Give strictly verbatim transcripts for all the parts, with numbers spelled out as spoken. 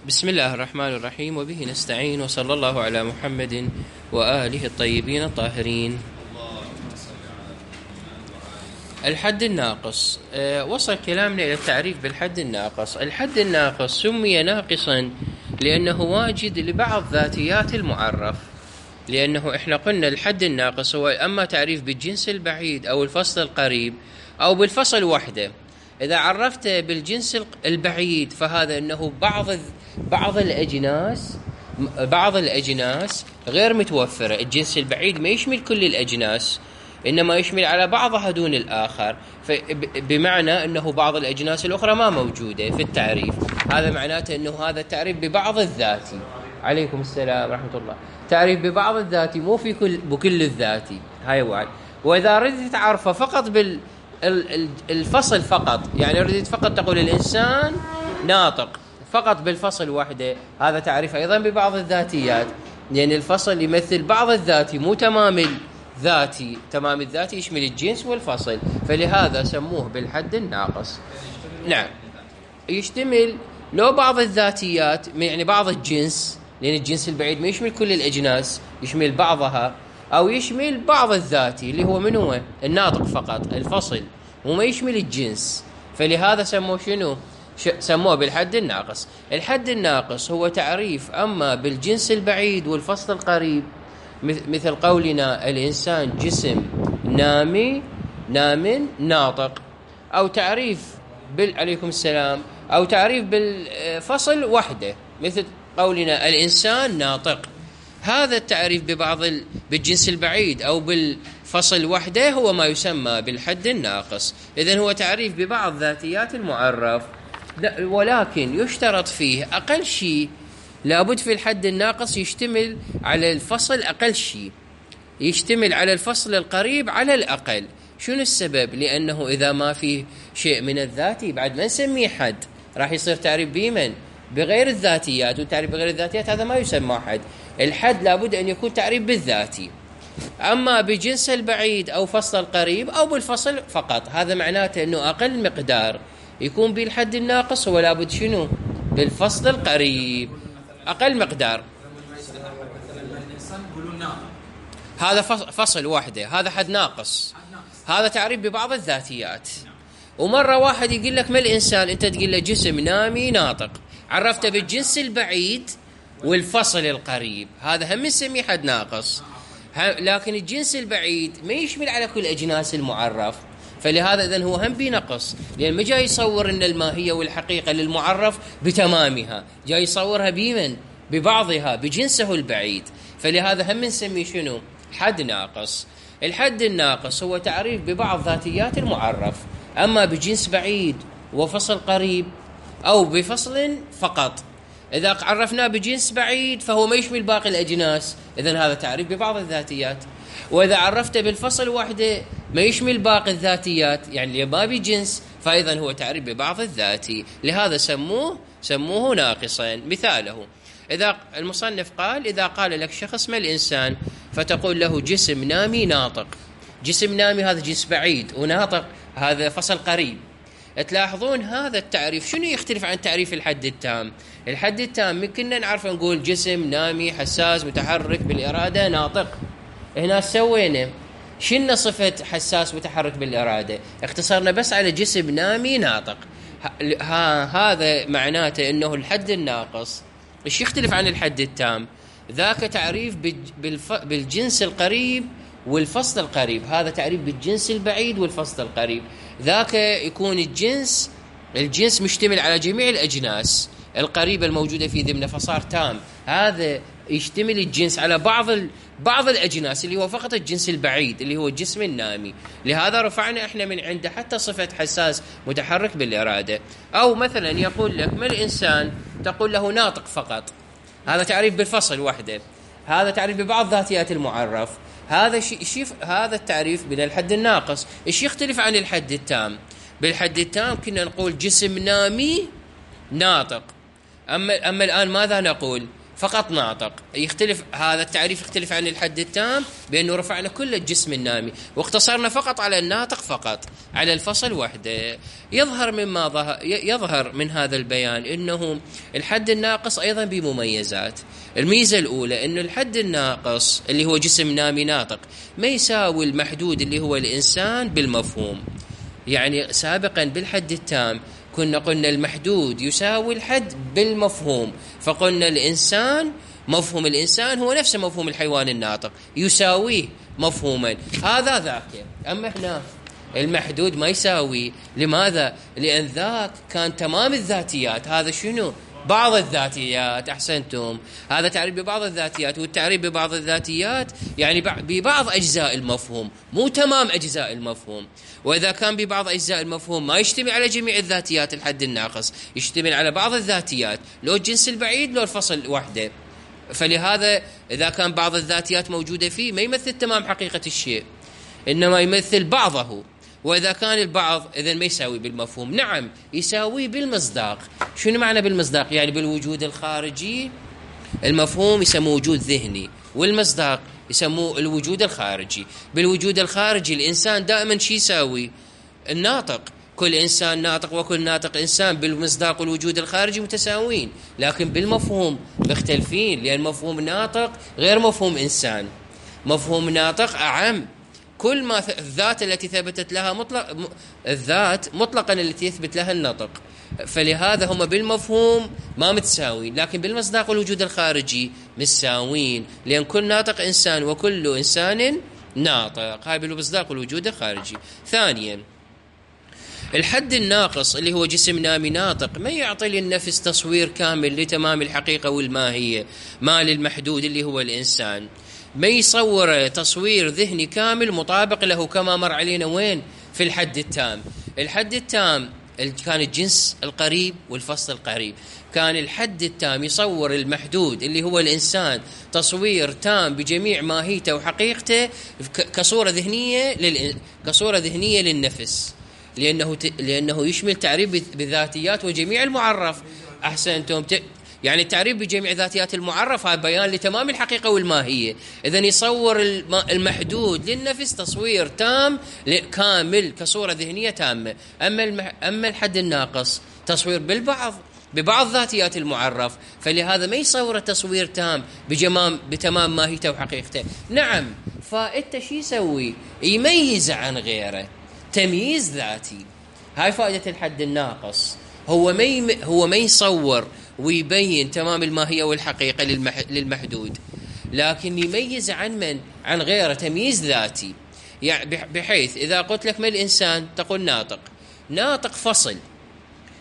بسم الله الرحمن الرحيم، وبه نستعين، وصلى الله على محمد وآله الطيبين الطاهرين. الحد الناقص. أه وصل كلامنا إلى التعريف بالحد الناقص. الحد الناقص سمي ناقصا لأنه واجد لبعض ذاتيات المعرف، لأنه إحنا قلنا الحد الناقص هو أما تعريف بالجنس البعيد أو الفصل القريب أو بالفصل وحده. إذا عرفت بالجنس البعيد فهذا أنه بعض بعض الأجناس بعض الأجناس غير متوفرة. الجنس البعيد ما يشمل كل الأجناس، إنما يشمل على بعضها دون الآخر، بمعنى أنه بعض الأجناس الأخرى ما موجودة في التعريف. هذا معناته أنه هذا التعريف ببعض الذاتي. عليكم السلام ورحمة الله. تعريف ببعض الذاتي، مو في كل بكل الذاتي. هاي واحد. وإذا ردت تعرفه فقط بال الفصل فقط، يعني ردت فقط تقول الإنسان ناطق فقط بالفصل وحده، هذا تعريف أيضا ببعض الذاتيات، لأن الفصل يمثل بعض الذاتي مو تمام الذاتي. تمام الذاتي يشمل الجنس والفصل، فلهذا سموه بالحد الناقص. نعم، يشتمل لو بعض الذاتيات، يعني بعض الجنس، لأن الجنس البعيد ما يشمل كل الأجناس، يشمل بعضها، أو يشمل بعض الذاتي اللي هو من هو الناطق فقط الفصل، وما يشمل الجنس، فلهذا سموه شنو؟ سموه بالحد الناقص. الحد الناقص هو تعريف أما بالجنس البعيد والفصل القريب، مثل قولنا الإنسان جسم نامي نام ناطق، أو تعريف بال عليكم السلام أو تعريف بالفصل وحده مثل قولنا الإنسان ناطق. هذا التعريف ببعض ال... بالجنس البعيد أو بالفصل وحده هو ما يسمى بالحد الناقص. إذن هو تعريف ببعض ذاتيات المعرف، ولكن يشترط فيه أقل شيء، لابد في الحد الناقص يشتمل على الفصل أقل شيء، يشتمل على الفصل القريب على الأقل. شنو السبب؟ لأنه إذا ما فيه شيء من الذاتي بعد ما نسميه حد، راح يصير تعريف بيمن بغير الذاتيات، والتعريف بغير الذاتيات هذا ما يسمى حد. الحد لابد أن يكون تعريف بالذاتي، أما بجنس البعيد أو فصل القريب أو بالفصل فقط، هذا معناته أنه أقل مقدار يكون بالحد الناقص هو لابد شنو؟ بالفصل القريب أقل مقدار. هذا فصل واحدة، هذا حد ناقص، هذا تعريف ببعض الذاتيات. ومرة واحد يقول لك ما الإنسان، أنت تقول له جسم نامي ناطق، عرفته بالجنس البعيد والفصل القريب، هذا هم نسميه حد ناقص. لكن الجنس البعيد ما يشمل على كل أجناس المعرف، فلهذا إذن هو هم بنقص، لأن ما جاي يصور أن الماهية والحقيقة للمعرف بتمامها، جاي يصورها بمن؟ ببعضها بجنسه البعيد، فلهذا هم نسميه شنو؟ حد ناقص. الحد الناقص هو تعريف ببعض ذاتيات المعرف، أما بجنس بعيد وفصل قريب أو بفصل فقط. إذا عرفناه بجنس بعيد فهو ما يشمل باقي الأجناس، إذن هذا تعريف ببعض الذاتيات. وإذا عرفته بالفصل وحده ما يشمل باقي الذاتيات، يعني ما بجنس، فأيضا هو تعريف ببعض الذاتي، لهذا سموه سموه ناقصا. مثاله إذا المصنف قال، إذا قال لك شخص ما الإنسان، فتقول له جسم نامي ناطق. جسم نامي هذا جنس بعيد، وناطق هذا فصل قريب. تلاحظون هذا التعريف شنو يختلف عن تعريف الحد التام؟ الحد التام كنا نعرف نقول جسم نامي حساس متحرك بالإرادة ناطق. هنا سوينا شنو صفة حساس متحرك بالإرادة؟ اختصرنا بس على جسم نامي ناطق. ها هذا معناته أنه الحد الناقص إيش يختلف عن الحد التام؟ ذاك تعريف بالجنس القريب والفصل القريب، هذا تعريف بالجنس البعيد والفصل القريب. ذاك يكون الجنس الجنس مشتمل على جميع الأجناس القريبة الموجودة في ضمن، فصار تام. هذا يشتمل الجنس على بعض ال... بعض الأجناس اللي هو فقط الجنس البعيد اللي هو الجسم النامي، لهذا رفعنا احنا من عنده حتى صفة حساس متحرك بالإرادة. أو مثلا يقول لك ما الإنسان، تقول له ناطق فقط، هذا تعريف بالفصل وحده، هذا تعريف ببعض ذاتيات المعرف. هذا شيء هذا التعريف من الحد الناقص. ايش يختلف عن الحد التام؟ بالحد التام كنا نقول جسم نامي ناطق، أما, أما الآن ماذا نقول؟ فقط ناطق. يختلف هذا التعريف، يختلف عن الحد التام بأنه رفعنا كل الجسم النامي واقتصرنا فقط على الناطق، فقط على الفصل وحده. يظهر مما ظهر يظهر من هذا البيان أنه الحد الناقص أيضا بمميزات. الميزة الأولى أن الحد الناقص اللي هو جسم نامي ناطق ما يساوي المحدود اللي هو الإنسان بالمفهوم. يعني سابقا بالحد التام كنا قلنا المحدود يساوي الحد بالمفهوم، فقلنا الإنسان مفهوم الإنسان هو نفس مفهوم الحيوان الناطق، يساويه مفهوما هذا ذاك. أما هنا المحدود ما يساوي. لماذا؟ لأن ذاك كان تمام الذاتيات، هذا شنو؟ بعض الذاتيات. أحسنتم، هذا تعريف ببعض الذاتيات، والتعريف ببعض الذاتيات يعني ببعض أجزاء المفهوم، مو تمام أجزاء المفهوم. وإذا كان ببعض أجزاء المفهوم ما يشتمل على جميع الذاتيات الحد الناقص، يشتمل على بعض الذاتيات، لو الجنس البعيد لو الفصل وحده. فلهذا إذا كان بعض الذاتيات موجودة فيه ما يمثل تمام حقيقة الشيء، إنما يمثل بعضه. وإذا كان البعض إذن ما يساوي بالمفهوم. نعم يساوي بالمصداق. شنو معنى بالمصداق؟ يعني بالوجود الخارجي. المفهوم يسموه وجود ذهني، والمصداق يسموه الوجود الخارجي. بالوجود الخارجي الإنسان دائما شي يساوي؟ الناطق. كل إنسان ناطق وكل ناطق إنسان. بالمصداق والوجود الخارجي متساوين، لكن بالمفهوم مختلفين، لأن مفهوم ناطق غير مفهوم إنسان. مفهوم ناطق أعم، كل ما الذات التي ثبتت لها مطلق الذات مطلقا التي يثبت لها النطق. فلهذا هم بالمفهوم ما متساوين، لكن بالمصداق والوجود الخارجي متساوين، لأن كل ناطق إنسان وكل إنسان ناطق. هاي بالمصداق والوجود الخارجي. ثانيا الحد الناقص اللي هو جسم نامي ناطق ما يعطي للنفس تصوير كامل لتمام الحقيقة والماهية ما للمحدود اللي هو الإنسان. ما يصور تصوير ذهني كامل مطابق له كما مر علينا وين؟ في الحد التام. الحد التام كان الجنس القريب والفصل القريب. كان الحد التام يصور المحدود اللي هو الإنسان تصوير تام بجميع ماهيته وحقيقته كصورة ذهنية لل... كصورة ذهنية للنفس، لأنه ت... لأنه يشمل تعريف بالذاتيات وجميع المعرف. أحسنتم. ت... يعني التعريف بجميع ذاتيات المعرف هذا بيان لتمام الحقيقة والماهية. إذن يصور المحدود للنفس تصوير تام كامل كصورة ذهنية تامة. أما المح... أما الحد الناقص تصوير بالبعض ببعض ذاتيات المعرف، فلهذا ما يصور تصوير تام بجمام بتمام ماهيته وحقيقته. نعم، فأنت شو يسوي؟ يميز عن غيره، تمييز ذاتي. هاي فائدة الحد الناقص. هو ما يم... هو ما يصور ويبين تمام الماهية والحقيقة للمح... للمحدود، لكن يميز عن من؟ عن غيره، تمييز ذاتي. يعني بحيث إذا قلت لك ما الإنسان تقول ناطق. ناطق فصل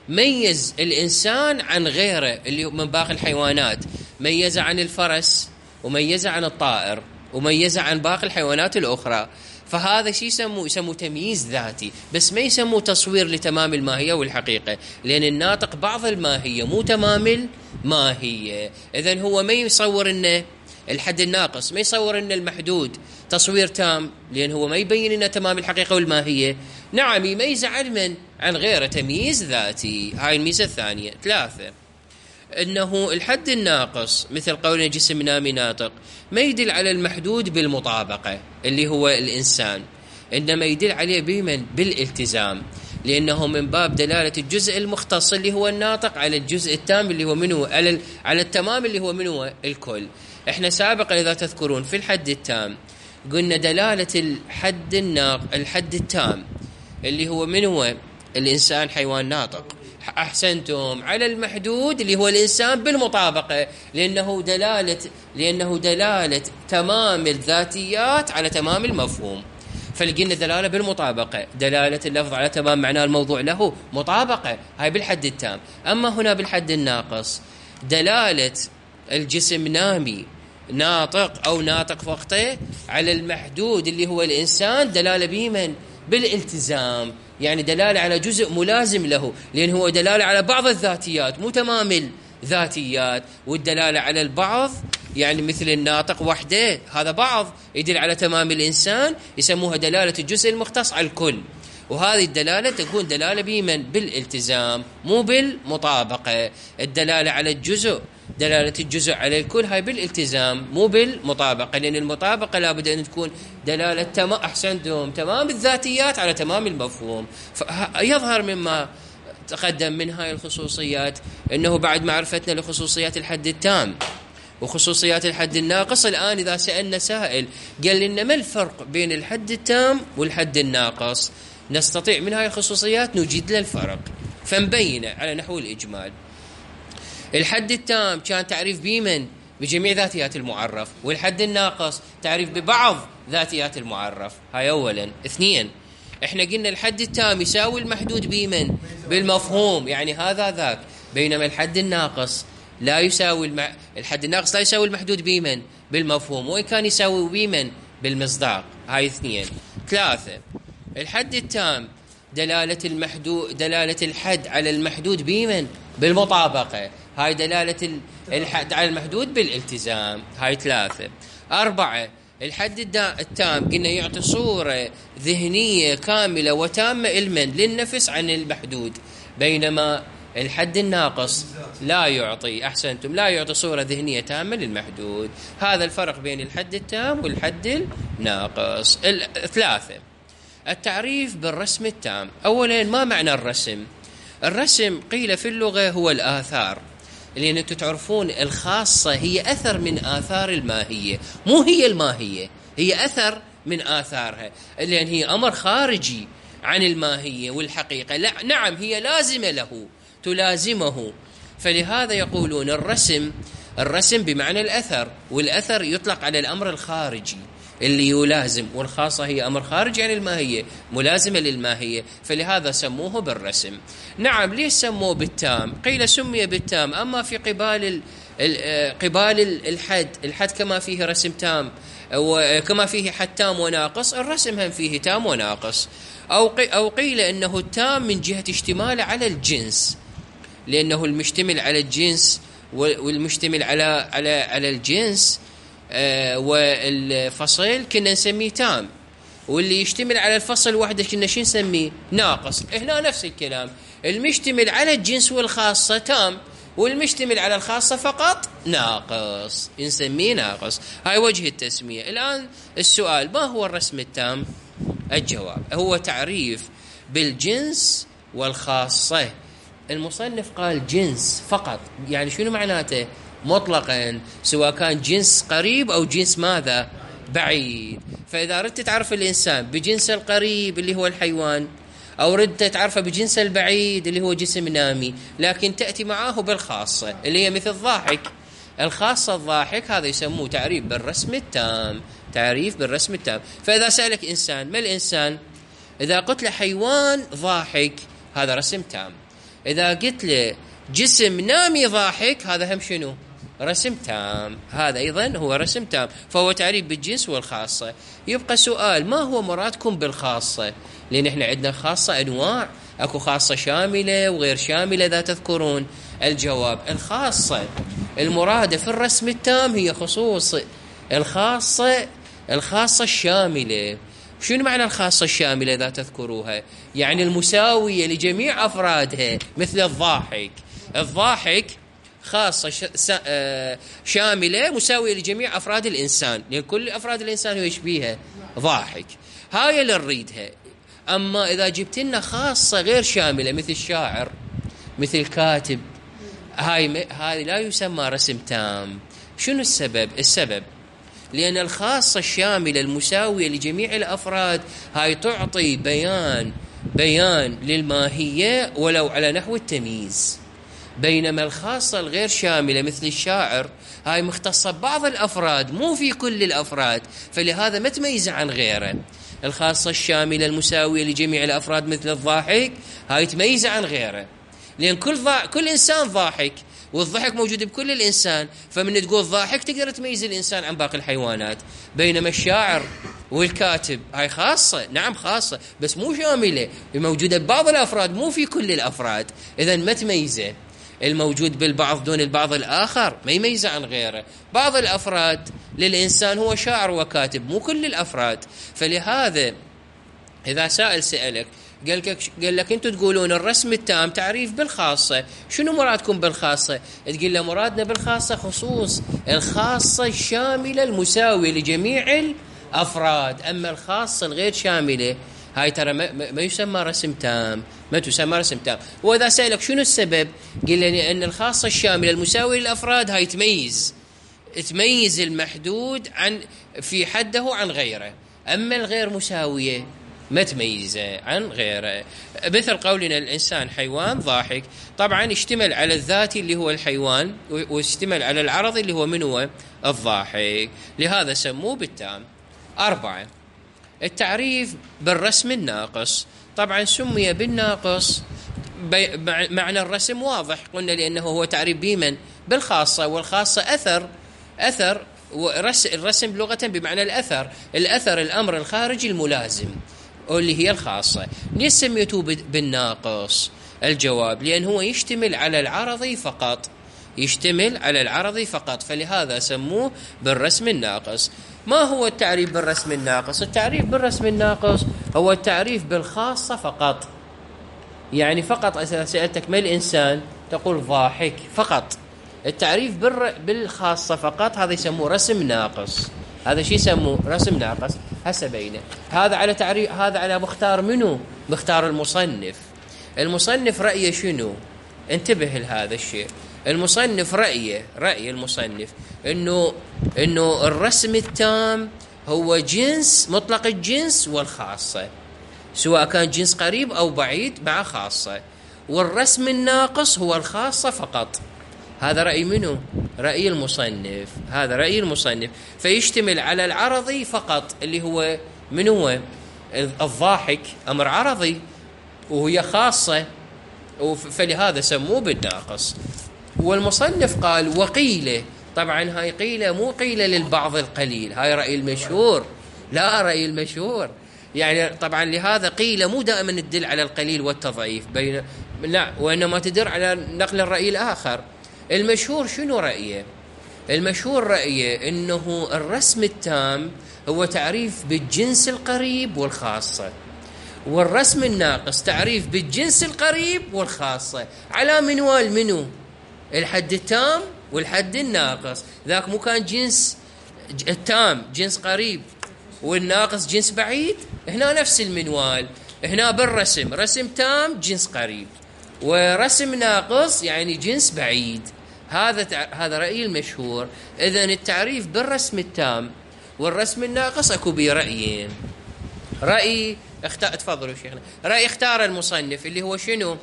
ميز الإنسان عن غيره اللي من باقي الحيوانات، ميز عن الفرس وميز عن الطائر وميز عن باقي الحيوانات الأخرى. فهذا شيء يسموه يسموه تمييز ذاتي، بس ما يسموه تصوير لتمام الماهية والحقيقة، لأن الناطق بعض الماهية مو تمام الماهية. إذن هو ما يصور إنه الحد الناقص ما يصور إن المحدود تصوير تام، لأن هو ما يبين إنه تمام الحقيقة والماهية. نعم، يميز عن من؟ عن غيره، تمييز ذاتي. هاي الميزة الثانية. ثلاثة، إنه الحد الناقص مثل قولنا جسم نامي ناطق ما يدل على المحدود بالمطابقة اللي هو الإنسان، إنما يدل عليه بمن؟ بالالتزام، لأنه من باب دلالة الجزء المختص اللي هو الناطق على الجزء التام اللي هو منه، على على التمام اللي هو منه الكل. إحنا سابقا إذا تذكرون في الحد التام قلنا دلالة الحد الناق الحد التام اللي هو من هو الإنسان حيوان ناطق. أحسنتم. على المحدود اللي هو الإنسان بالمطابقة، لأنه دلالة لأنه دلالة تمام الذاتيات على تمام المفهوم. فلقينا دلالة بالمطابقة، دلالة اللفظ على تمام معناه الموضوع له مطابقة، هاي بالحد التام. أما هنا بالحد الناقص دلالة الجسم نامي ناطق أو ناطق فقطه على المحدود اللي هو الإنسان دلالة بمن؟ بالالتزام، يعني دلالة على جزء ملازم له، لأن هو دلالة على بعض الذاتيات مو تمام الذاتيات. والدلالة على البعض يعني مثل الناطق وحده، هذا بعض يدل على تمام الإنسان، يسموها دلالة الجزء المختص على الكل. وهذه الدلالة تكون دلالة بمن؟ بالالتزام مو بالمطابقة. الدلالة على الجزء دلالة الجزء على الكل هاي بالالتزام مو بالمطابقة، لأن المطابقة لابد أن تكون دلالة تمام أحسنتم تمام الذاتيات على تمام المفهوم. فيظهر مما تقدم من هاي الخصوصيات أنه بعد معرفتنا لخصوصيات الحد التام وخصوصيات الحد الناقص، الآن إذا سألنا سائل قال لنا ما الفرق بين الحد التام والحد الناقص، نستطيع من هاي الخصوصيات نوجد له الفرق فنبينه على نحو الإجمال. الحد التام كان تعريف بمن؟ بجميع ذاتيات المعرف، والحد الناقص تعريف ببعض ذاتيات المعرف. هاي أولا. اثنين، احنا قلنا الحد التام يساوي المحدود بمن؟ بالمفهوم، يعني هذا ذاك، بينما الحد الناقص لا يساوي الم... الحد الناقص لا يساوي المحدود بمن؟ بالمفهوم، وإن كان يساوي بمن؟ بالمصداق. هاي اثنين. ثلاثة، الحد التام دلالة المحدود دلالة الحد على المحدود بمن؟ بالمطابقة، هاي دلالة الحد على المحدود بالالتزام. هاي ثلاثة. أربعة، الحد التام قلنا يعطي صورة ذهنية كاملة وتامة علما للنفس عن المحدود، بينما الحد الناقص لا يعطي أحسنتم لا يعطي صورة ذهنية تامة للمحدود. هذا الفرق بين الحد التام والحد الناقص. الثلاثة، التعريف بالرسم التام. أولا، ما معنى الرسم؟ الرسم قيل في اللغة هو الآثار، لأن أنتم تعرفون الخاصة هي أثر من آثار الماهية، مو هي الماهية، هي أثر من آثارها، لأن هي أمر خارجي عن الماهية والحقيقة. لا نعم هي لازمة له تلازمه، فلهذا يقولون الرسم الرسم بمعنى الأثر، والأثر يطلق على الأمر الخارجي اللي يلازم، والخاصة هي أمر خارجي عن الماهية ملازمة للماهية، فلهذا سموه بالرسم. نعم، ليش سموه بالتام؟ قيل سمي بالتام أما في قبال قبال الحد الحد كما فيه رسم تام وكما فيه حد تام وناقص، الرسم هم فيه تام وناقص. أو أو قيل أنه التام من جهة اشتماله على الجنس، لأنه المشتمل على الجنس والمشتمل على على على الجنس آه والفصل كنا نسميه تام، واللي يشتمل على الفصل وحده كنا شو نسميه؟ ناقص. هنا نفس الكلام، المشتمل على الجنس والخاصة تام، والمشتمل على الخاصة فقط ناقص، نسميه ناقص. هاي وجه التسمية. الآن السؤال، ما هو الرسم التام؟ الجواب هو تعريف بالجنس والخاصة. المصنف قال جنس فقط، يعني شنو معناته؟ مطلقا، سواء كان جنس قريب أو جنس ماذا؟ بعيد. فإذا ردت تعرف الإنسان بجنس القريب اللي هو الحيوان، أو ردت تعرفه بجنس البعيد اللي هو جسم نامي، لكن تأتي معاه بالخاصة اللي هي مثل الضاحك. الخاصة الضاحك، هذا يسموه تعريف بالرسم التام، تعريف بالرسم التام. فإذا سألك إنسان ما الإنسان؟ إذا قلت له حيوان ضاحك هذا رسم تام. إذا قلت له جسم نامي ضاحك هذا هم شنو؟ رسم تام. هذا أيضا هو رسم تام، فهو تعريف بالجنس والخاصة. يبقى سؤال، ما هو مرادكم بالخاصة؟ لأن إحنا عندنا خاصة أنواع، أكو خاصة شاملة وغير شاملة إذا تذكرون. الجواب، الخاصة المرادة في الرسم التام هي خصوص الخاصة الخاصة الشاملة. شنو معنى الخاصة الشاملة إذا تذكروها؟ يعني المساوية لجميع أفرادها، مثل الضاحك. الضاحك خاصة شاملة مساوية لجميع أفراد الإنسان، لأن كل أفراد الإنسان هو يشبيها ضاحك. هاي اللي نريدها. أما إذا جبت لنا خاصة غير شاملة مثل الشاعر مثل الكاتب، هاي هاي لا يسمى رسم تام. شنو السبب؟ السبب لأن الخاصة الشاملة المساوية لجميع الأفراد هاي تعطي بيان بيان للماهية ولو على نحو التمييز، بينما الخاصة الغير شاملة مثل الشاعر هاي مختصة ببعض الأفراد مو في كل الأفراد، فلهذا ما تميز عن غيره. الخاصة الشاملة المساوية لجميع الأفراد مثل الضاحك هاي تميز عن غيره، لأن كل ضا... كل إنسان ضاحك، والضحك موجود بكل الإنسان، فمن تقول ضاحك تقدر تميز الإنسان عن باقي الحيوانات. بينما الشاعر والكاتب هاي خاصة، نعم خاصة بس مو شاملة، موجودة ببعض الأفراد مو في كل الأفراد، إذن ما تميزه. الموجود بالبعض دون البعض الآخر ما يميزه عن غيره. بعض الأفراد للإنسان هو شاعر وكاتب، مو كل الأفراد. فلهذا إذا سائل سألك قال لك قال لك انتم تقولون الرسم التام تعريف بالخاصه، شنو مرادكم بالخاصه؟ تقول له مرادنا بالخاصه خصوص الخاصه الشامله المساويه لجميع الافراد، اما الخاصه الغير شامله هاي ترى ما, ما يسمى رسم تام، ما تسمى رسم تام. واذا سالك شنو السبب؟ قل لي ان الخاصه الشامله المساويه للافراد هاي تميز تميز المحدود عن في حده عن غيره، اما الغير مساويه ما تميزه عن غيره. مثل قولنا الإنسان حيوان ضاحك، طبعا يشتمل على الذاتي اللي هو الحيوان، ويشتمل على العرضي اللي هو من هو الضاحك، لهذا سموه بالتام. أربعة، التعريف بالرسم الناقص. طبعا سمي بالناقص معنى الرسم واضح، قلنا لأنه هو تعريف بمن؟ بالخاصة، والخاصة أثر أثر الرسم لغة بمعنى الأثر، الأثر الأمر الخارجي الملازم اللي هي الخاصة. ليش سميته بالناقص؟ الجواب لأن هو يشتمل على العرضي فقط، يشتمل على العرضي فقط، فلهذا سموه بالرسم الناقص. ما هو التعريف بالرسم الناقص؟ التعريف بالرسم الناقص هو التعريف بالخاصة فقط، يعني فقط إذا سألتك ما الإنسان تقول ضاحك فقط. التعريف بالخاصة فقط هذا يسموه رسم ناقص، هذا شيء يسموه رسم ناقص. هسه بينه هذا على تعريف، هذا على مختار منو؟ مختار المصنف. المصنف رأيه شنو؟ انتبه لهذا الشيء. المصنف رأيه رأي المصنف انه انه الرسم التام هو جنس مطلق الجنس والخاصة، سواء كان جنس قريب او بعيد مع خاصة، والرسم الناقص هو الخاصة فقط. هذا رأي منه؟ رأي المصنف، هذا رأي المصنف. فيشتمل على العرضي فقط اللي هو من هو الضاحك، أمر عرضي وهي خاصة، فلهذا سموه بالناقص. والمصنف قال وقيله، طبعا هاي قيلة مو قيلة للبعض القليل، هاي رأي المشهور، لا رأي المشهور يعني. طبعا لهذا قيلة مو دائما تدل على القليل والتضعيف بين، لا، وإنما تدل على نقل الرأي الآخر. المشهور شنو رأيه؟ المشهور رأيه إنه الرسم التام هو تعريف بالجنس القريب والخاصة، والرسم الناقص تعريف بالجنس القريب والخاصة على منوال منو؟ الحد التام والحد الناقص. ذاك مو كان جنس التام جنس قريب والناقص جنس بعيد؟ هنا نفس المنوال، هنا بالرسم رسم تام جنس قريب، ورسم ناقص يعني جنس بعيد. هذا هذا رأي المشهور. إذن التعريف بالرسم التام والرسم الناقص اكو بيه رأيين. رأي اختار، تفضلوا شيخنا، رأي اختار المصنف اللي هو شنو؟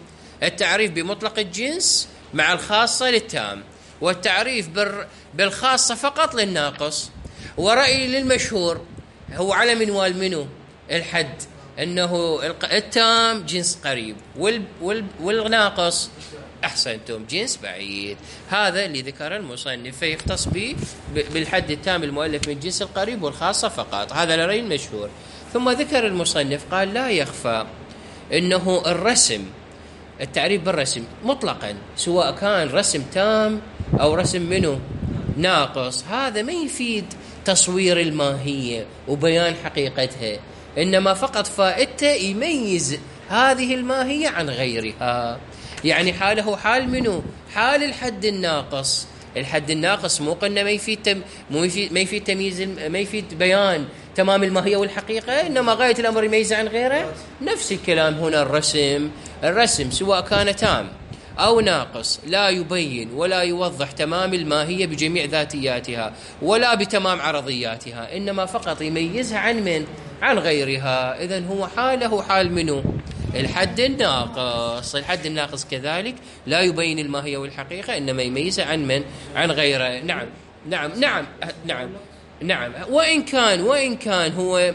التعريف بمطلق الجنس مع الخاصة للتام، والتعريف بالخاصة فقط للناقص. ورأي للمشهور هو على منوال منو؟ الحد، انه التام جنس قريب والناقص احسنتم جنس بعيد. هذا اللي ذكر المصنف، فيختص به بالحد التام المؤلف من الجنس القريب والخاصة فقط. هذا لرأي المشهور. ثم ذكر المصنف قال لا يخفى انه الرسم، التعريف بالرسم مطلقا سواء كان رسم تام او رسم منه ناقص، هذا ما يفيد تصوير الماهية وبيان حقيقتها، انما فقط فائدته يميز هذه الماهية عن غيرها. يعني حاله حال منه؟ حال الحد الناقص. الحد الناقص مو قلنا ما يفيد تم مو يفيد ما يفيد تمييز، ما يفيد بيان تمام الماهية والحقيقة، انما غاية الامر يميزه عن غيره. نفس الكلام هنا الرسم، الرسم سواء كان تام او ناقص لا يبين ولا يوضح تمام الماهية بجميع ذاتياتها ولا بتمام عرضياتها، انما فقط يميزها عن من؟ عن غيرها. اذن هو حاله حال منه؟ الحد الناقص. الحد الناقص كذلك لا يبين الماهية والحقيقة، إنما يميزها عن من؟ عن غيره. نعم نعم نعم نعم نعم وإن كان وإن كان هو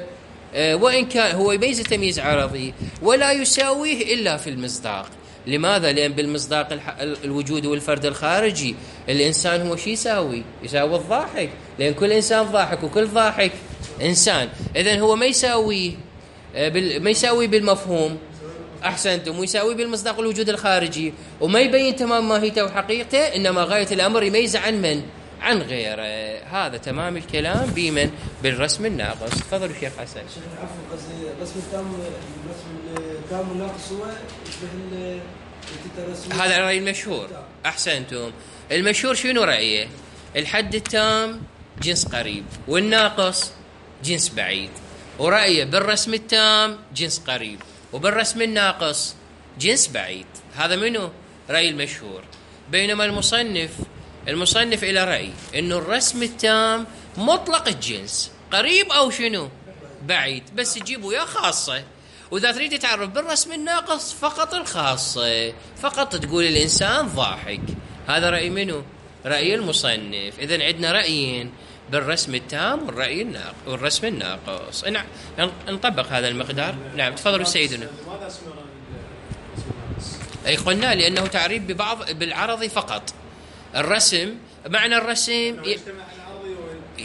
وإن كان هو يميز تمييز عرضي ولا يساويه إلا في المصداق. لماذا؟ لأن بالمصداق الوجود والفرد الخارجي الإنسان هو شي يساوي؟ يساوي الضاحك، لأن كل إنسان ضاحك وكل ضاحك إنسان. إذن هو ما يساوي ما يساوي بالمفهوم، أحسنتم، ويساوي بالمصداق الوجود الخارجي، وما يبين تمام ماهيته وحقيقته، إنما غاية الأمر يميز عن من؟ عن غيره. هذا تمام الكلام بمن؟ بالرسم الناقص. تفضلوا شيخ حسن. شيخ العفو، قصدي الرسم التام، الرسم التام والناقص هو يشبه الرسم. هذا الرأي المشهور. أحسنتم. المشهور شنو رأيه؟ الحد التام جنس قريب والناقص جنس بعيد، ورأيه بالرسم التام جنس قريب وبالرسم الناقص جنس بعيد. هذا منه رأي المشهور. بينما المصنف المصنف إلى رأي إنه الرسم التام مطلق الجنس، قريب أو شنو بعيد، بس تجيبه يا خاصة. وإذا تريد تعرف بالرسم الناقص فقط الخاصة، فقط تقول الإنسان ضاحك. هذا رأي منه؟ رأي المصنف. إذن عندنا رأيين بالرسم التام والرأي الناقص والرسم الناقص. نطبق هذا المقدار. نعم تفضلوا سيدنا. لماذا اسمه أي قلنا لأنه تعريف ببعض بالعرضي فقط. الرسم معنى الرسم ي...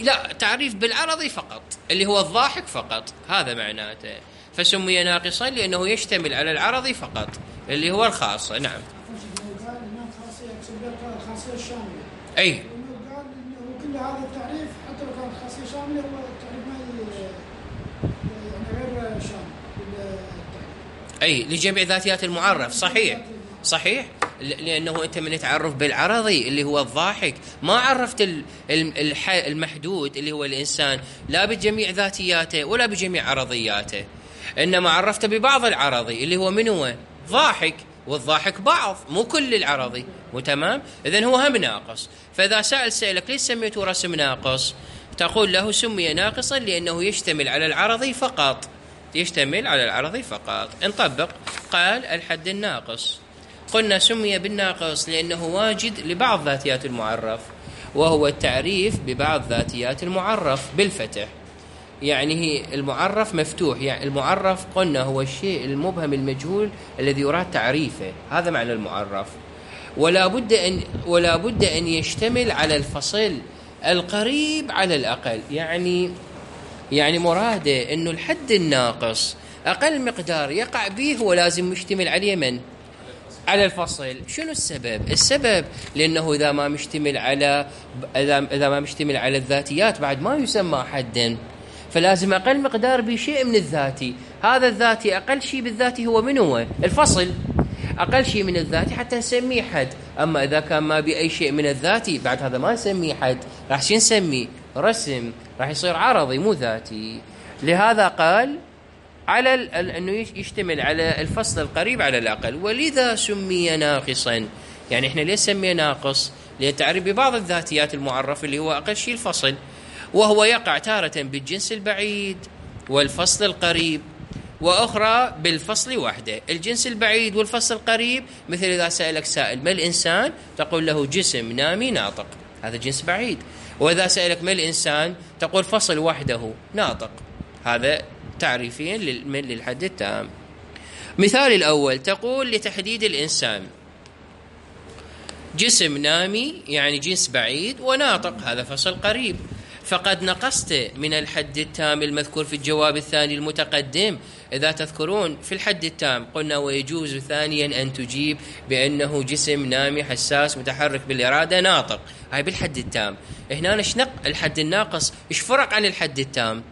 لا، تعريف بالعرضي فقط اللي هو الضاحك فقط، هذا معناته. فسمي ناقصا لأنه يشتمل على العرضي فقط اللي هو الخاصة. نعم. الخاصية الشاملة. أي. قال إنه كل هذا التعريف حتى لو كان خاصية شاملة هو التعريف ما يعني غير شامل. أي لجميع ذاتيات المعرف. صحيح صحيح، لأنه أنت من تعرف بالعرضي اللي هو الضاحك ما عرفت المحدود اللي هو الإنسان لا بجميع ذاتياته ولا بجميع عرضياته، إنما عرفت ببعض العرضي اللي هو من هو ضاحك، والضاحك بعض مو كل العرضي. وتمام. إذن هو هم ناقص. فإذا سأل سألك ليش سميته رسم ناقص، تقول له سمي ناقصا لأنه يشتمل على العرضي فقط، يشتمل على العرضي فقط. نطبق. قال الحد الناقص، قلنا سمي بالناقص لأنه واجد لبعض ذاتيات المعرف، وهو التعريف ببعض ذاتيات المعرف بالفتح. يعني هي المعرف مفتوح، يعني المعرف قلنا هو الشيء المبهم المجهول الذي يراد تعريفه، هذا معنى المعرف. ولا بد أن ولا بد أن يشتمل على الفصل القريب على الأقل. يعني يعني مراده إنه الحد الناقص أقل مقدار يقع به هو لازم يشتمل عليه من؟ على الفصل. شنو السبب؟ السبب لأنه إذا ما مشتمل على إذا ما مشتمل على الذاتيات بعد ما يسمى حدا، فلازم أقل مقدار بشيء من الذاتي. هذا الذاتي أقل شيء بالذاتي هو من هو؟ الفصل. أقل شيء من الذاتي حتى نسميه حد. أما إذا كان ما بأي شيء من الذاتي بعد هذا ما نسميه حد، راح شو نسميه؟ رسم، راح يصير عرضي مو ذاتي. لهذا قال على أنه يشتمل على الفصل القريب على الأقل، ولذا سمي ناقصا. يعني إحنا ليش سميه ناقص؟ للتعريف ببعض الذاتيات المعرف اللي هو أقل شيء الفصل، وهو يقع تارة بالجنس البعيد والفصل القريب، وأخرى بالفصل وحده. الجنس البعيد والفصل القريب مثل إذا سألك سائل ما الإنسان، تقول له جسم نامي ناطق، هذا جنس بعيد. وإذا سألك ما الإنسان تقول فصل وحده ناطق، هذا تعريفين للحد التام. مثال الأول تقول لتحديد الإنسان جسم نامي يعني جنس بعيد، وناطق هذا فصل قريب. فقد نقصت من الحد التام المذكور في الجواب الثاني المتقدم. إذا تذكرون في الحد التام قلنا ويجوز ثانيا أن تجيب بأنه جسم نامي حساس متحرك بالإرادة ناطق، هاي بالحد التام. هنا نشنق الحد الناقص، إيش فرق عن الحد التام؟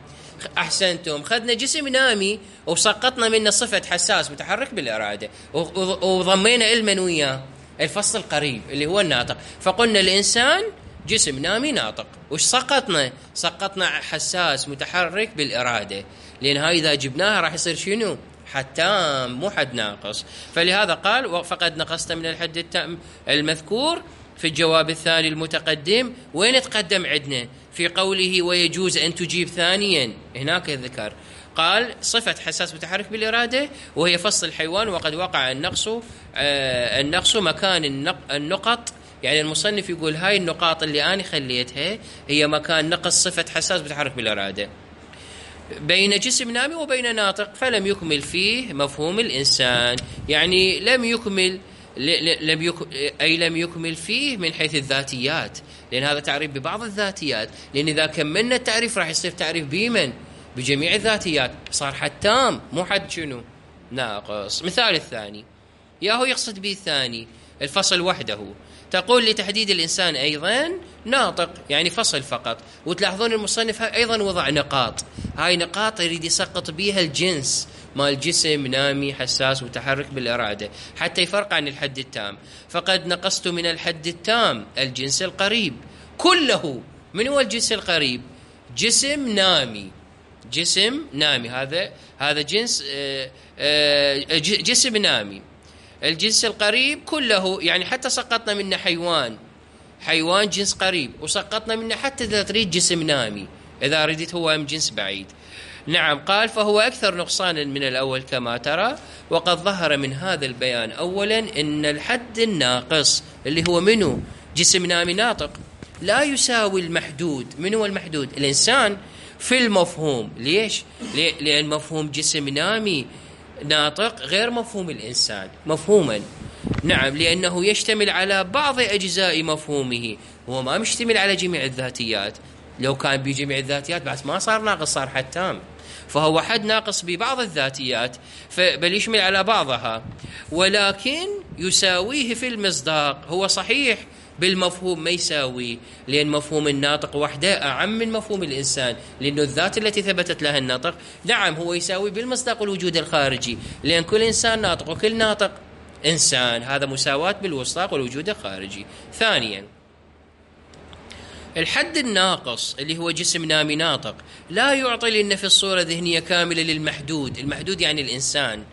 أحسنتم، خذنا جسم نامي وسقطنا منه صفة حساس متحرك بالإرادة، وضمينا المن وياه الفصل القريب اللي هو الناطق. فقلنا الإنسان جسم نامي ناطق، وش سقطنا؟ سقطنا حساس متحرك بالإرادة، لأن هاي إذا جبناها راح يصير شنو؟ حد تام مو حد ناقص. فلهذا قال فقد نقصت من الحد التام المذكور في الجواب الثاني المتقدم. وين تقدم عندنا؟ في قوله ويجوز أن تجيب ثانيا، هناك ذكر قال صفة حساس متحرك بالإرادة وهي فصل الحيوان، وقد وقع النقص آه النقص مكان النق النقط. يعني المصنف يقول هاي النقاط اللي أنا خليتها هي مكان نقص صفة حساس متحرك بالإرادة بين جسم نامي وبين ناطق، فلم يكمل فيه مفهوم الإنسان. يعني لم يكمل لم يك... أي لم يكمل فيه من حيث الذاتيات، لأن هذا تعريف ببعض الذاتيات. لأن إذا كملنا التعريف راح يصير تعريف بمن؟ بجميع الذاتيات، صار حد تام مو حد شنو؟ ناقص. مثال الثاني ياهو يقصد به الثاني الفصل وحده. تقول لتحديد الإنسان أيضا ناطق، يعني فصل فقط. وتلاحظون المصنف أيضا وضع نقاط، هاي نقاط يريد يسقط بيها الجنس مال الجسم، نامي، حساس، متحرك بالإرادة، حتى يفرق عن الحد التام. فقد نقصت من الحد التام الجنس القريب كله. من هو الجنس القريب؟ جسم نامي، جسم نامي، هذا هذا جنس آآ آآ جسم نامي. الجنس القريب كله، يعني حتى سقطنا منه حيوان، حيوان جنس قريب، وسقطنا منه حتى إذا تريد جسم نامي، إذا ردت هو من جنس بعيد. نعم، قال فهو أكثر نقصانا من الأول كما ترى. وقد ظهر من هذا البيان أولا أن الحد الناقص اللي هو منه جسم نامي ناطق لا يساوي المحدود. من هو المحدود؟ الإنسان في المفهوم. ليش؟ لأن مفهوم جسم نامي ناطق غير مفهوم الإنسان مفهوما. نعم، لأنه يشتمل على بعض أجزاء مفهومه، هو ما مشتمل على جميع الذاتيات. لو كان بجميع الذاتيات بعد ما صار ناقص، صار حد تام. فهو حد ناقص ببعض الذاتيات، بل يشمل على بعضها، ولكن يساويه في المصداق. هو صحيح بالمفهوم ما يساوي، لأن مفهوم الناطق وحده أعم من مفهوم الإنسان، لأنه الذات التي ثبتت لها الناطق نعم هو يساوي بالمصداق والوجود الخارجي، لأن كل إنسان ناطق وكل ناطق إنسان، هذا مساواة بالمصداق والوجود الخارجي. ثانيا، الحد الناقص اللي هو جسم نامي ناطق لا يعطي لنا في الصورة ذهنية كاملة للمحدود. المحدود يعني الإنسان،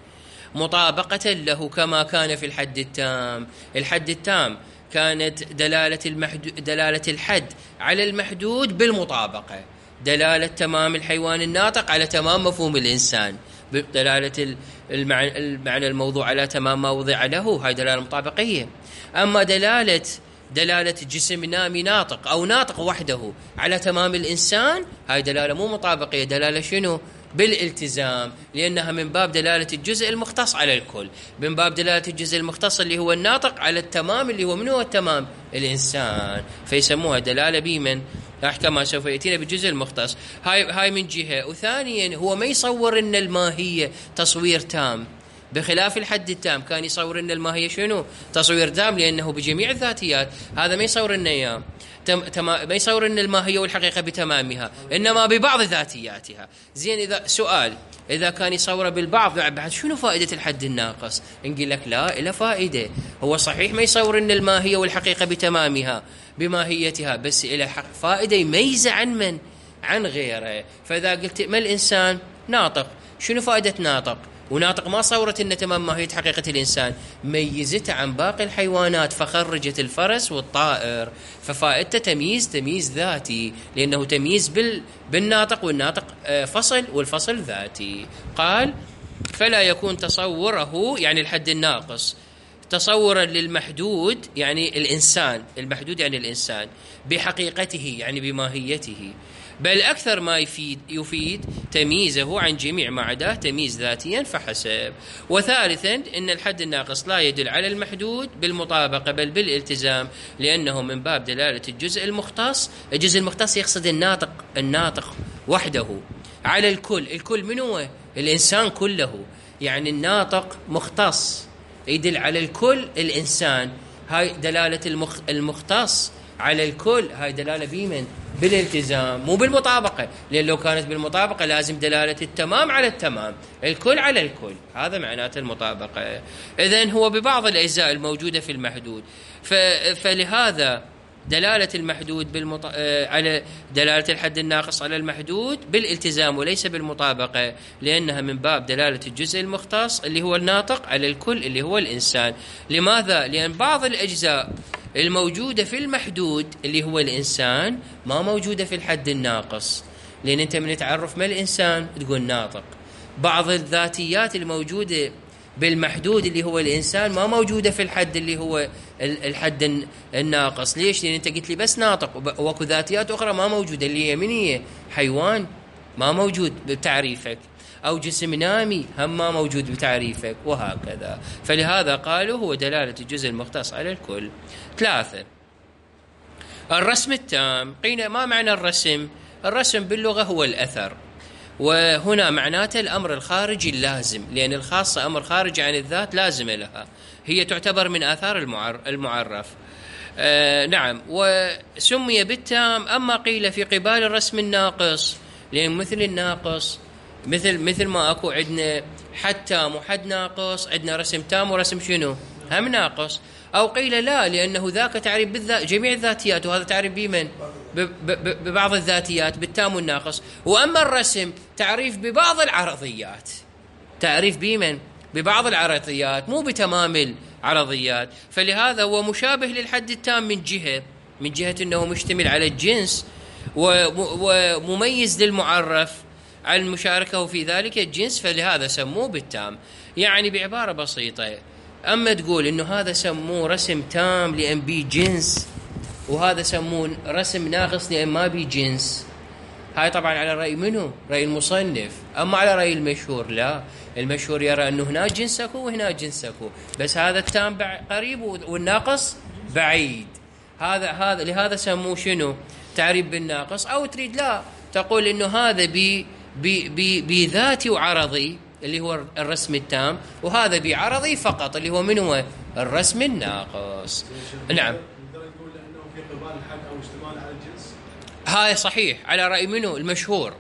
مطابقة له كما كان في الحد التام. الحد التام كانت دلالة المحدود، دلالة الحد على المحدود بالمطابقة، دلالة تمام الحيوان الناطق على تمام مفهوم الإنسان، دلالة المعنى, المعنى الموضوع على تمام ما وضع له، هاي دلالة مطابقية. أما دلالة دلالة جسم نامي ناطق أو ناطق وحده على تمام الإنسان، هاي دلالة مو مطابقية، دلالة شنو؟ بالالتزام، لأنها من باب دلالة الجزء المختص على الكل، من باب دلالة الجزء المختص اللي هو الناطق على التمام اللي هو من هو التمام؟ الإنسان، فيسموها دلالة بمن؟ أحكام سوف يأتينا بالجزء المختص. هاي هاي من جهة. وثانيا هو ما يصور إن الماهية تصوير تام، بخلاف الحد التام كان يصور إن الماهية شنو؟ تصوير تام، لأنه بجميع الذاتيات. هذا ما يصور إنه إياه تم... تم... ما يصور إن الماهية والحقيقة بتمامها، إنما ببعض ذاتياتها. زين، إذا سؤال إذا كان يصوره بالبعض بعد شنو فائدة الحد الناقص؟ نقول لك لا، إلا فائدة. هو صحيح ما يصور إن الماهية والحقيقة بتمامها بماهيتها، بس إلى فائدة يميزه عن من؟ عن غيره. فإذا قلت ما الإنسان ناطق، شنو فائدة ناطق؟ وناطق ما صورت إن تمام ماهية حقيقة الإنسان، ميزته عن باقي الحيوانات فخرجت الفرس والطائر، ففائدته تمييز تمييز ذاتي، لأنه تمييز بال بالناطق، والناطق فصل والفصل ذاتي. قال فلا يكون تصوره، يعني الحد الناقص، تصورا للمحدود يعني الإنسان، المحدود يعني الإنسان بحقيقته يعني بماهيته، بل أكثر ما يفيد يفيد تمييزه عن جميع ما عداه تمييز ذاتيا فحسب. وثالثا أن الحد الناقص لا يدل على المحدود بالمطابقة بل بالالتزام، لأنه من باب دلالة الجزء المختص. الجزء المختص يقصد الناطق، الناطق وحده على الكل. الكل من هو؟ الإنسان كله، يعني الناطق مختص يدل على الكل الإنسان. هاي دلالة المخ... المختص على الكل، هاي دلالة بمن؟ بالالتزام مو بالمطابقة، لأن لو كانت بالمطابقة لازم دلالة التمام على التمام، الكل على الكل، هذا معناته المطابقة. إذن هو ببعض الأجزاء الموجودة في المحدود. ف... فلهذا دلالة المحدود بالمط... على دلالة الحد الناقص على المحدود بالالتزام وليس بالمطابقة، لأنها من باب دلالة الجزء المختص اللي هو الناطق على الكل اللي هو الإنسان. لماذا؟ لأن بعض الأجزاء الموجودة في المحدود اللي هو الإنسان ما موجودة في الحد الناقص، لأن أنت من تعرف ما الإنسان تقول ناطق. بعض الذاتيات الموجودة بالمحدود اللي هو الإنسان ما موجودة في الحد اللي هو الحد الناقص. ليش؟ لأن أنت قلت لي بس ناطق، وكو ذاتيات أخرى ما موجودة، اللي هي من هي؟ حيوان ما موجود بتعريفك، أو جسم نامي هم ما موجود بتعريفك، وهكذا. فلهذا قالوا هو دلالة الجزء المختص على الكل. ثلاثة، الرسم التام. قيل ما معنى الرسم؟ الرسم باللغة هو الأثر، وهنا معناته الأمر الخارجي اللازم، لأن الخاصة أمر خارجي عن الذات لازم لها، هي تعتبر من آثار المعرف. آه نعم، وسمي بالتام. أما قيل في قبال الرسم الناقص، لأن مثل الناقص مثل مثل ما أكو عندنا حد تام وحد ناقص، عندنا رسم تام ورسم شنو هم ناقص. أو قيل لا، لأنه ذاك تعريف بالذات جميع الذاتيات، وهذا تعريف بمن؟ ببعض الذاتيات بالتام والناقص. وأما الرسم تعريف ببعض العرضيات، تعريف بمن؟ ببعض العرضيات، مو بتمام العرضيات. فلهذا هو مشابه للحد التام من جهة من جهة أنه مشتمل على الجنس ومميز للمعرف عن مشاركه في ذلك الجنس، فلهذا سموه بالتام. يعني بعبارة بسيطة، أما تقول إنه هذا سموه رسم تام لأن بي جنس، وهذا سموه رسم ناقص لأن ما بي جنس، هاي طبعا على رأي منه؟ رأي المصنف. أما على رأي المشهور لا، المشهور يرى أنه هنا جنسك وهنا جنسك، بس هذا التام قريب والناقص بعيد. هذا هذا لهذا سموه شنو؟ تعريف بالناقص. أو تريد لا تقول إنه هذا بي بي بي بذاتي وعرضي اللي هو الرسم التام، وهذا بعرضي فقط اللي هو من هو الرسم الناقص. نعم، نقول انه في قبال الحد او اشتمال على الجنس. هاي صحيح على رأي منه؟ المشهور.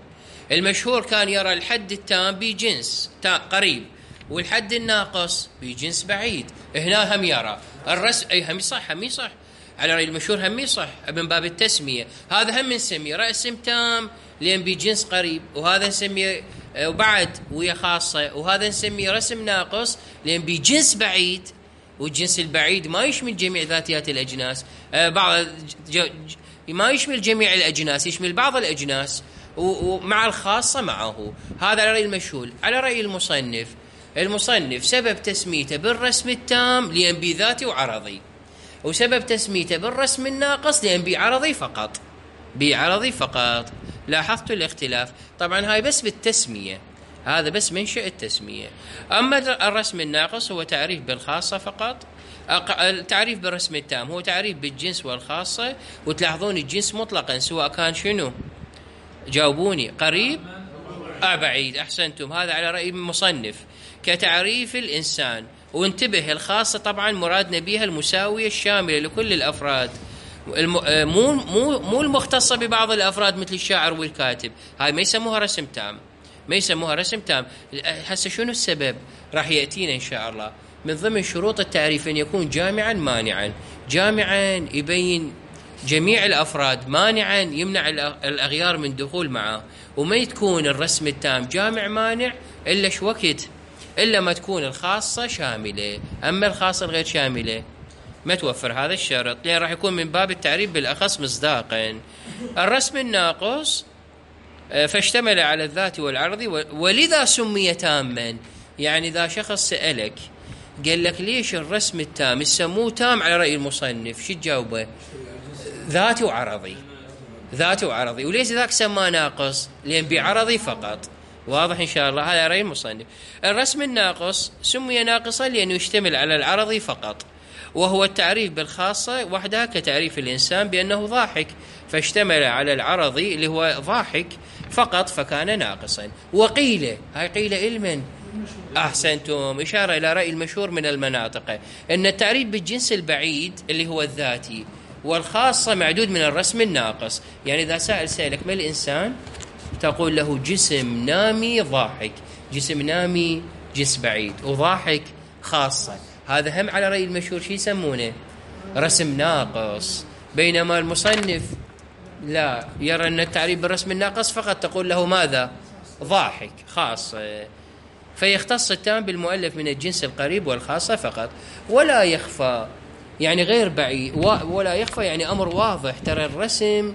المشهور كان يرى الحد التام بجنس قريب، والحد الناقص بجنس بعيد. هنا هم يرى الرسم، اي هم صح هم صح على رأي المشهور، هم صح من باب التسمية. هذا هم نسميه رسم تام لأن بجنس قريب، وهذا نسميه وبعد ويا خاصة، وهذا نسميه رسم ناقص لأن بجنس بعيد، والجنس البعيد ما يشمل جميع ذاتيات الأجناس، بعض ما يشمل جميع الأجناس، يشمل بعض الأجناس ومع الخاصة معه. هذا على رأي المشهور. على رأي المصنف، المصنف سبب تسميته بالرسم التام لأن بذاتي وعرضي، وسبب تسميته بالرسم الناقص لأن بعرضي فقط، بعرضي فقط. لاحظت الاختلاف؟ طبعا هاي بس بالتسمية، هذا بس منشأ التسمية. أما الرسم الناقص هو تعريف بالخاصة فقط، التعريف بالرسم التام هو تعريف بالجنس والخاصة. وتلاحظون الجنس مطلقا سواء كان شنو؟ جاوبوني، قريب أو بعيد. أحسنتم، هذا على رأي المصنف كتعريف الإنسان. وانتبه، الخاصة طبعا مرادنا بها المساوية الشاملة لكل الأفراد، مو مو مو المختصة ببعض الأفراد مثل الشاعر والكاتب. هاي ما يسموها رسم تام، ما يسموها رسم تام. هسه شنو السبب؟ راح يأتينا إن شاء الله. من ضمن شروط التعريف أن يكون جامعا مانعا. جامعا يبين جميع الأفراد، مانعا يمنع الأغيار من دخول معه. وما تكون الرسم التام جامع مانع إلا شو وقت؟ إلا ما تكون الخاصة شاملة. أما الخاصة الغير شاملة ما توفر هذا الشرط، لأن راح يكون من باب التعريف بالأخص مصداقا. الرسم الناقص فاشتمل على الذات والعرض، ولذا سمي تاما. يعني إذا شخص سألك قال لك ليش الرسم التام يسموه تام على رأي المصنف، شو تجاوبه؟ ذاتي وعرضي، ذاتي وعرضي. وليش ذاك سماه ناقص؟ لأن بعرضي فقط. واضح إن شاء الله؟ هذا رأي المصنف. الرسم الناقص سمي ناقصا لأنه يشتمل على العرض فقط، وهو التعريف بالخاصة وحدها كتعريف الإنسان بأنه ضاحك، فاشتمل على العرض اللي هو ضاحك فقط فكان ناقصا. وقيل، هاي قيل علما. أحسنتم، إشارة إلى رأي المشهور من المناطق أن التعريف بالجنس البعيد اللي هو الذاتي والخاصة معدود من الرسم الناقص. يعني إذا سائل سألك ما الإنسان، تقول له جسم نامي ضاحك، جسم نامي جنس بعيد، وضاحك خاصة. هذا هم على رأي المشهور شي يسمونه رسم ناقص. بينما المصنف لا، يرى أن التعريف بالرسم الناقص فقط تقول له ماذا؟ ضاحك خاصة. فيختص التام بالمؤلف من الجنس القريب والخاصة فقط. ولا يخفى يعني غير بعيد، ولا يخفى يعني أمر واضح. ترى الرسم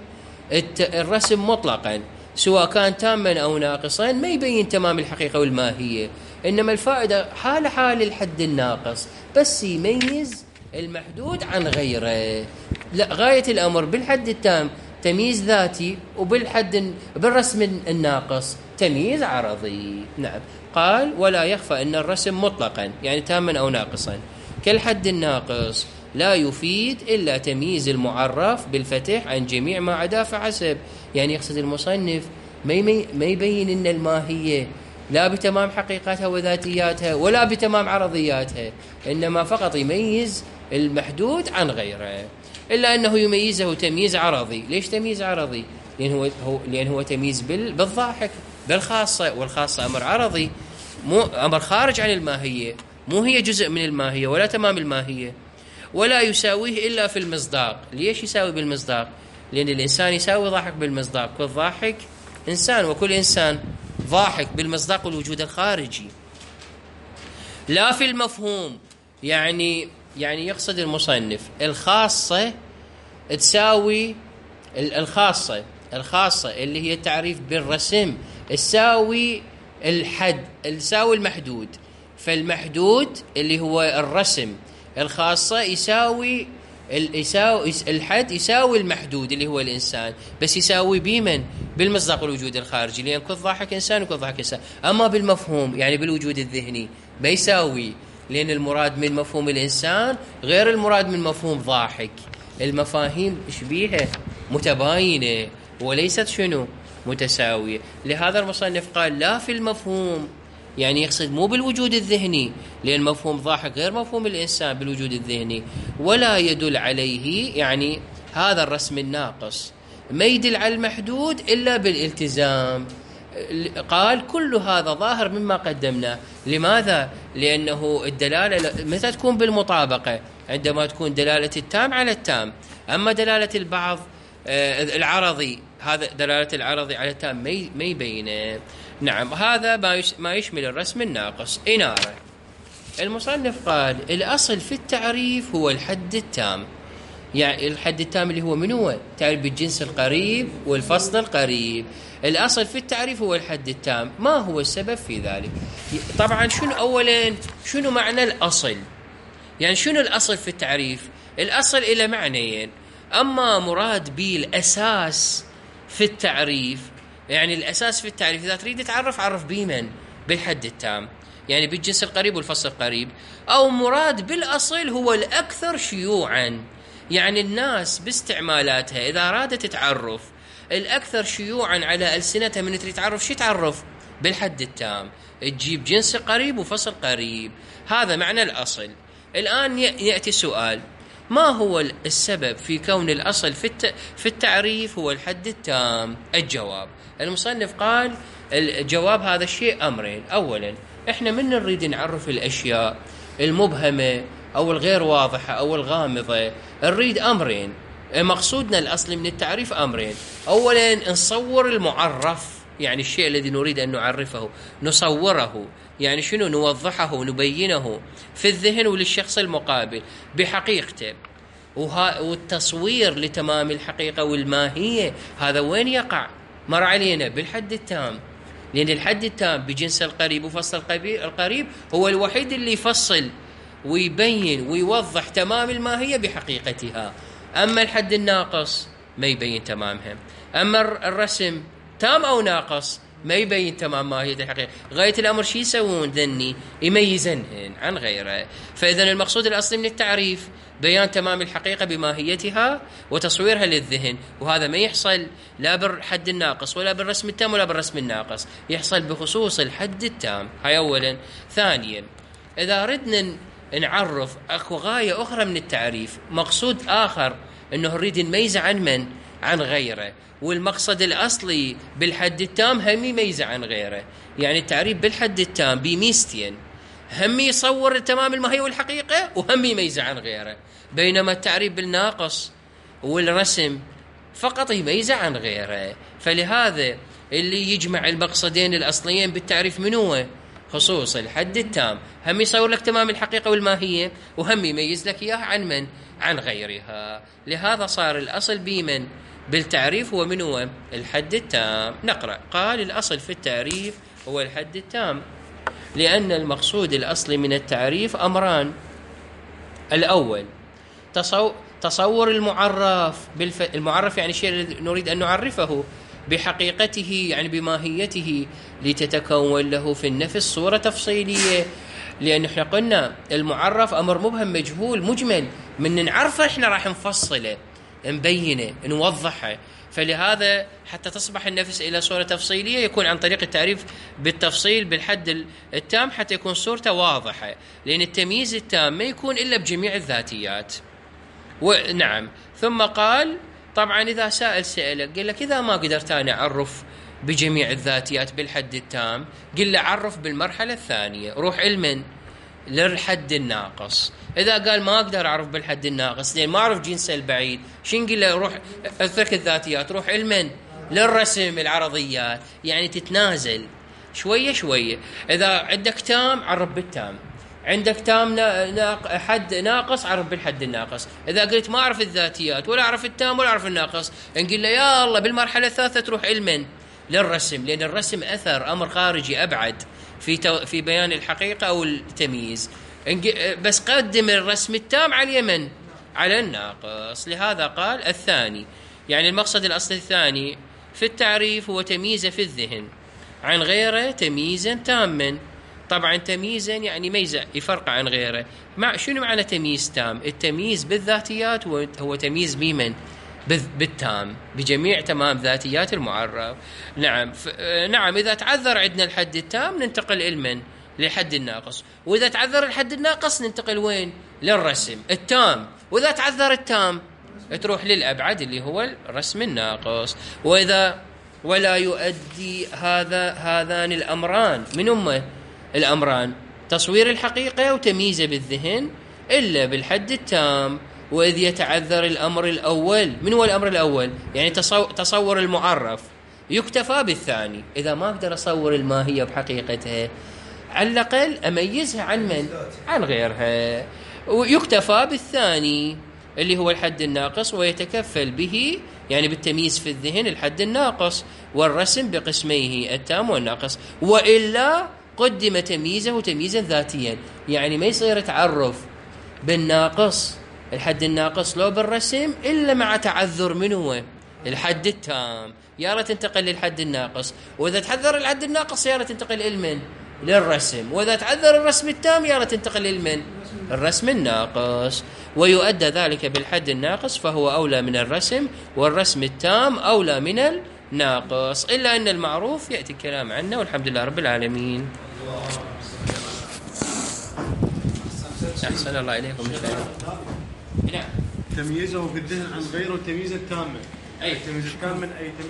الرسم مطلقا سواء كان تاما أو ناقصا ما يبين تمام الحقيقة والماهية، إنما الفائدة حال حال الحد الناقص، بس يميز المحدود عن غيره. لا، غاية الأمر بالحد التام تمييز ذاتي، وبالحد بالرسم الناقص تمييز عرضي. نعم. قال ولا يخفى أن الرسم مطلقا يعني تاما أو ناقصا كالحد الناقص لا يفيد إلا تمييز المعرف بالفتح عن جميع ما عدا فحسب. يعني يقصد المصنف ما يبين أن الماهية لا بتمام حقيقتها وذاتياتها ولا بتمام عرضياتها، إنما فقط يميز المحدود عن غيره. إلا أنه يميزه تمييز عرضي. ليش تمييز عرضي؟ لأن هو, هو لأن هو تمييز بالضاحك بالخاصة، والخاصة أمر عرضي، مو أمر خارج عن الماهية، مو هي جزء من الماهية ولا تمام الماهية، ولا يساويه إلا في المصداق. ليش يساوي بالمصداق؟ لأن الإنسان يساوي ضاحك بالمصداق، كل ضاحك إنسان، وكل إنسان ضاحك بالمصداق والوجود الخارجي، لا في المفهوم. يعني يعني يقصد المصنف الخاصة تساوي الخاصة الخاصة اللي هي التعريف بالرسم تساوي الحد، تساوي المحدود. فالمحدود اللي هو الرسم، الخاصة يساوي يساوي الحد يساوي المحدود اللي هو الإنسان، بس يساوي بمن؟ بالمصداق والوجود الخارجي، لأن كل ضاحك إنسان وكل ضاحك إنسان. أما بالمفهوم يعني بالوجود الذهني ما يساوي، لأن المراد من مفهوم الإنسان غير المراد من مفهوم ضاحك. المفاهيم شبيهة متباينة وليست شنو متساوية. لهذا المصنف قال لا في المفهوم، يعني يقصد مو بالوجود الذهني، لأن مفهوم ضاحك غير مفهوم الإنسان بالوجود الذهني، ولا يدل عليه، يعني هذا الرسم الناقص ما يدل على المحدود إلا بالالتزام. قال كل هذا ظاهر مما قدمناه. لماذا؟ لأنه الدلالة متى تكون بالمطابقة؟ عندما تكون دلالة التام على التام. أما دلالة البعض العرضي، هذا دلالة العرضي على التام ما يبينه. نعم، هذا ما يشمل الرسم الناقص. إنارة المصنف قال الأصل في التعريف هو الحد التام. يعني الحد التام اللي هو من هو؟ تعريف بالجنس القريب والفصل القريب. الأصل في التعريف هو الحد التام. ما هو السبب في ذلك؟ طبعا شنو أولا شنو معنى الأصل؟ يعني شنو الأصل في التعريف؟ الأصل إلى معنيين. أما مراد به الأساس في التعريف، يعني الأساس في التعريف إذا تريد تعرف عرف بمن؟ بالحد التام، يعني بالجنس القريب والفصل القريب. أو مراد بالأصل هو الأكثر شيوعا، يعني الناس باستعمالاتها إذا أرادت تعرف الأكثر شيوعا على ألسنتها من تريد تعرف شي تعرف بالحد التام، تجيب جنس قريب وفصل قريب. هذا معنى الأصل. الآن يأتي سؤال: ما هو السبب في كون الأصل في التعريف هو الحد التام؟ الجواب: المصنف قال الجواب هذا الشيء أمرين. أولا، إحنا من نريد نعرف الأشياء المبهمة أو الغير واضحة أو الغامضة نريد أمرين. مقصودنا الأصلي من التعريف أمرين. أولا، نصور المعرف، يعني الشيء الذي نريد أن نعرفه نصوره، يعني شنو؟ نوضحه نبينه في الذهن وللشخص المقابل بحقيقته. والتصوير لتمام الحقيقة والماهية هذا وين يقع؟ مر علينا بالحد التام، لأن الحد التام بجنس القريب وفصل القريب هو الوحيد اللي يفصل ويبين ويوضح تمام الماهية بحقيقتها. أما الحد الناقص ما يبين تمامها. أما الرسم تام أو ناقص ما يبين تمام ماهية الحقيقة. غاية الأمر شي يسوون ذني؟ يميزنهن عن غيره. فإذا المقصود الأصلي من التعريف بيان تمام الحقيقة بماهيتها وتصويرها للذهن، وهذا ما يحصل لا بالحد الناقص ولا بالرسم التام ولا بالرسم الناقص، يحصل بخصوص الحد التام. هاي أولا. ثانيا، إذا ردنا نعرف أكو غاية أخرى من التعريف، مقصود آخر أنه نريد نميز عن من؟ عن غيره. والمقصد الأصلي بالحد التام هم يميز عن غيره. يعني التعريف بالحد التام بميزتين: هم يصور تمام الماهية والحقيقة وهم يميز عن غيره. بينما التعريف بالناقص والرسم فقط يميز عن غيره. فلهذا اللي يجمع المقصدين الأصليين بالتعريف من هو؟ خصوص الحد التام، هم يصور لك تمام الحقيقة والماهية وهم يميز لك إياها عن من؟ عن غيرها. لهذا صار الأصل بمن؟ بالتعريف هو من هو؟ الحد التام. نقرأ. قال الأصل في التعريف هو الحد التام، لأن المقصود الأصلي من التعريف أمران. الأول، تصور المعرف بالف... المعرف يعني الشيء الذي نريد أن نعرفه بحقيقته، يعني بماهيته، لتتكون له في النفس صورة تفصيلية. لأن احنا قلنا المعرف أمر مبهم مجهول مجمل، من نعرفه احنا راح نفصله نبينه نوضحه. فلهذا حتى تصبح النفس إلى صورة تفصيلية يكون عن طريق التعريف بالتفصيل بالحد التام حتى يكون صورته واضحة. لأن التمييز التام ما يكون إلا بجميع الذاتيات. ونعم. ثم قال طبعا إذا سائل سألك قال لك إذا ما قدرت أنا أعرف بجميع الذاتيات بالحد التام، قل له عرف بالمرحلة الثانية، روح علما للحد الناقص. إذا قال ما أقدر أعرف بالحد الناقص لأن ما أعرف جنسه البعيد، شو نقول له؟ روح أترك الذاتيات، روح علما للرسم العرضيات، يعني تتنازل شوية شوية. إذا عندك تام عرف بالتام، عندك تام ناق... حد ناقص عرف بالحد الناقص. إذا قلت ما أعرف الذاتيات ولا أعرف التام ولا أعرف الناقص، نقول له يا الله بالمرحلة الثالثة تروح علما للرسم، لأن الرسم أثر أمر خارجي أبعد في تو... في بيان الحقيقة أو التمييز. بس قدم الرسم التام على اليمن على الناقص. لهذا قال الثاني، يعني المقصد الأصل الثاني في التعريف هو تمييزه في الذهن عن غيره تمييزا تاما. طبعا تمييزا يعني ميزة يفرق عن غيره. مع شنو معنى تمييز تام؟ التمييز بالذاتيات هو تمييز بمن؟ بالتام، بجميع تمام ذاتيات المعرف. نعم. نعم إذا تعذر عندنا الحد التام ننتقل علما للحد الناقص، وإذا تعذر الحد الناقص ننتقل وين؟ للرسم التام، وإذا تعذر التام تروح للأبعد اللي هو الرسم الناقص. وإذا ولا يؤدي هذا هذان الأمران، من هم الأمران؟ تصوير الحقيقة وتمييزه بالذهن إلا بالحد التام. وإذ يتعذر الأمر الأول، من هو الأمر الأول؟ يعني تصور المعرف، يكتفى بالثاني. إذا ما أقدر أصور الماهية بحقيقتها على الأقل أميزها عن من؟ عن غيرها. ويكتفى بالثاني اللي هو الحد الناقص، ويتكفل به يعني بالتمييز في الذهن الحد الناقص والرسم بقسميه التام والناقص. وإلا قدم تمييزه تمييزا ذاتيا، يعني ما يصير تعرف بالناقص الحد الناقص لو بالرسم إلا مع تعذر من هو؟ الحد التام، يا ريت تنتقل للحد الناقص. وإذا تعذر الحد الناقص يا ريت تنتقل لمن؟ للرسم. وإذا تعذر الرسم التام يا ريت تنتقل لمن؟ الرسم الناقص. ويؤدى ذلك بالحد الناقص فهو أولى من الرسم، والرسم التام أولى من الناقص، إلا أن المعروف يأتي الكلام عنه. والحمد لله رب العالمين. أحسن الله إليكم. نعم. تمييزه في الذهن عن غيره تمييزا تاما. أي تمييز التام من أي تمييز